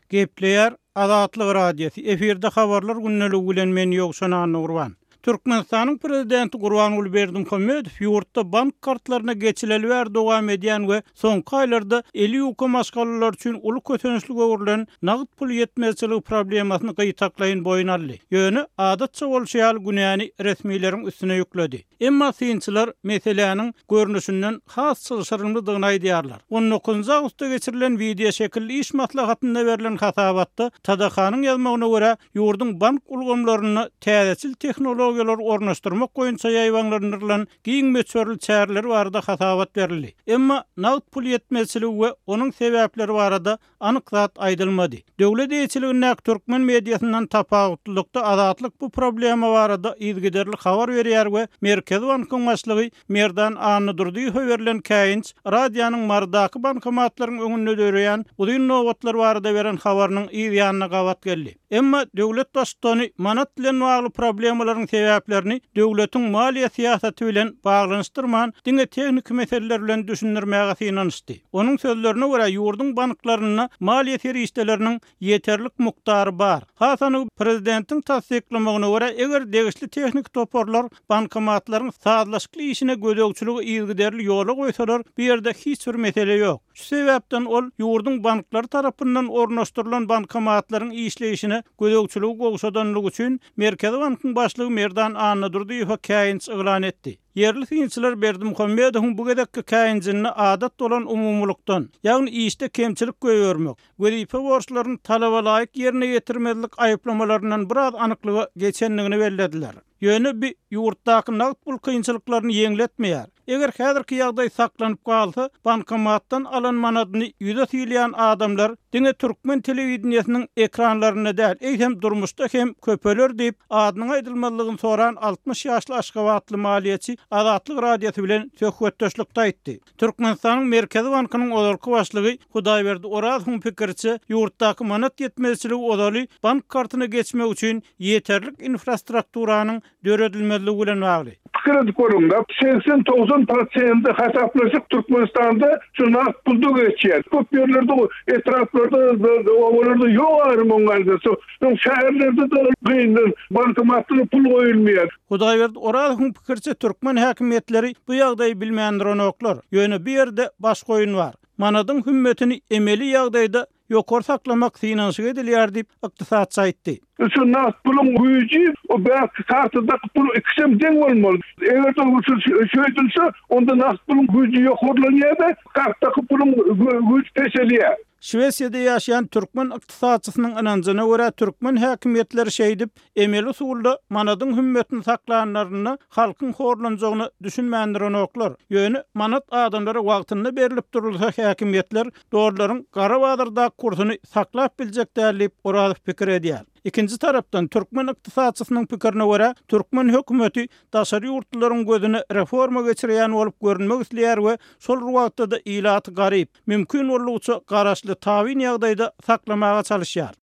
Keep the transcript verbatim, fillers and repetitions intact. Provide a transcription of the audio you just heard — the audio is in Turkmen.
Gepleýär Azatlyk Radiosy. Efirde habarlar gündeligi bilen men Ýowşan Annagurban. Türkmenistanyň prezidenti Gurbanguly Berdimuhamedow ýurtda bank kartlaryna geçileli bäri dowam edýän we soňky aýlarda eli ýuka maşgalalar üçin uly kösençlik öwrülen nagt pul ýetmezçiligi problemasyny gytaklaýyn boýun aldy. Ýöne adatça bolşy ýaly günäni resmileriň üstüne ýükledi. Emma synçylar meseläniň görnüşinden has çylşyrymlydygyny aýdýarlar. on dokuzynjy awgustda geçirilen wideo şekilli iş maslahatynda berlen hasabatda T D K-nyň ýazmagyna görä ýurduň bank ulgamlaryna täzeçil tehnologiýalary ornaşdyrmak boýunça ýaýbaňlandyrylan giň möçberli çäreler barada hasabat berildi. Emma nagt pul ýetmezçiligi we onuň sebäpleri barada anyk zat aýdylmady. Döwlet eýeçiligindäki türkmen mediasyndan tapawutlylykda Azatlyk bu problema barada yzygiderli habar berýär we Merkezi bankyň başlygy Merdan Annadurdyýewe berlen käýinç radionyň Marydaky bankomatlaryň öňünde döreýän uzyn nobatlar barada beren habarynyň yz ýanyna gabat geldi. Emma döwlet baştutany manat bilen bagly problemalaryň sebäplerini döwletiň maliýe syýasaty bilen baglanyşdyrman, diňe tehniki meseleler bilen düşündirmäge synanyşdy. Onuň sözlerine görä ýurduň banklarynda maliýe serişdeleriniň ýeterlik mukdary bar. Hasany prezidentiň tassyklamagyna görä eger degişli tehniki toparlar bankomatlaryň sazlaşykly işine gözegçiligi yzygiderli ýola goýsalar, bu ýerde hiç bir mesele ýok. Şu sebäpden ol ýurduň banklary tarapyndan ornaşdyrylan bankomatlaryň işleýişine gözegçiligi gowşadanlygy üçin Merkezi bankyň başlygy Merdan Annadurdyýewe käýinç yglan etdi. Ýerli synçylar Berdimuhamedowyň bu gezekki käýinjini adat bolan umumylykdan, ýagny işde kemçilik goýbermek, wezipe borçlaryny talaba laýyk ýerine ýetirmezlik aýyplamalaryndan biraz anyklyga geçendigini bellediler. Ýöne bi ýurtdaky nagt pul kynçylyklaryny ýeňletmeýär. Eger häzirki ýagdaý saklanyp galsa, bankomatdan alan manadyny ýüze silýän adamlar diňe türkmen telewideniýesiniň ekranlarynda däl, eýsem durmuşda hem köpeler diýip, adynyň aýdylmazlygyny soran altmyş ýaşly Aşgabatly maliýeçi Azatlyk Radiosy bilen söhbetdeşlikde aýtdy. Türkmenistanyň Merkezi bankynyň ozalky başlygy Hudaýberdi Orazowyň pikiriçe, ýurtdaky manat ýetmezçiligi ozaly bank kartyna geçmek üçin ýeterlik infrastrukturanyň döredilmezligi bilen bagly. Pikir edip görüň-de, seksen togsan prosenti hasaplaşyk Türkmenistanda şu nagt pulda geçýär. Köp ýerlerde, etraplarda, obalarda ýok aýrym oňaýda. Soň şäherlerde-de gyndan bankomatlara pul goýulmaýar. Hudaýberdi Orazowyň pikiriçe türkmen häkimiýetleri bu ýagdaýy bilmändir onoklar. Ýöne bu ýerde baş goýun bar. Manadyň hümmetini emeli ýagdaýda ýokary saklamak synanyşyk edilýär diýip ykdysatçy aýtdy. Şu nagt puluň güýji o bäş kartadaky pul ikisem deň bolmaly. Eger de şu şöýdülse, onda nagt puluň güýji ýokarlanýar-da, kartdaky puluň güýji peselýär. Şwesiýada ýaşaýan türkmen ykdysatçysynyň ynanjyna görä türkmen häkimiýetleri şeýdip emeli usulda manadyň hümmetini saklanlaryna halkyň horlanjagyny düşünmändir onoklar. Ýöne manat adamlara wagtynda berilip durulsa häkimiýetler dollaryň gara bazardaky kursuny saklap biljek däl diýip Orazow pikir edýär. Ikinji tarapdan türkmen ykdysatçysynyň pikirine görä türkmen hökümeti daşary ýurtlaryň gözüne reforma geçirýän bolup görünmek isleýär we şol wagtda-da ilaty garyp, mümkin boldugyça garaşly tabyn ýagdaýda saklamaga çalışýar.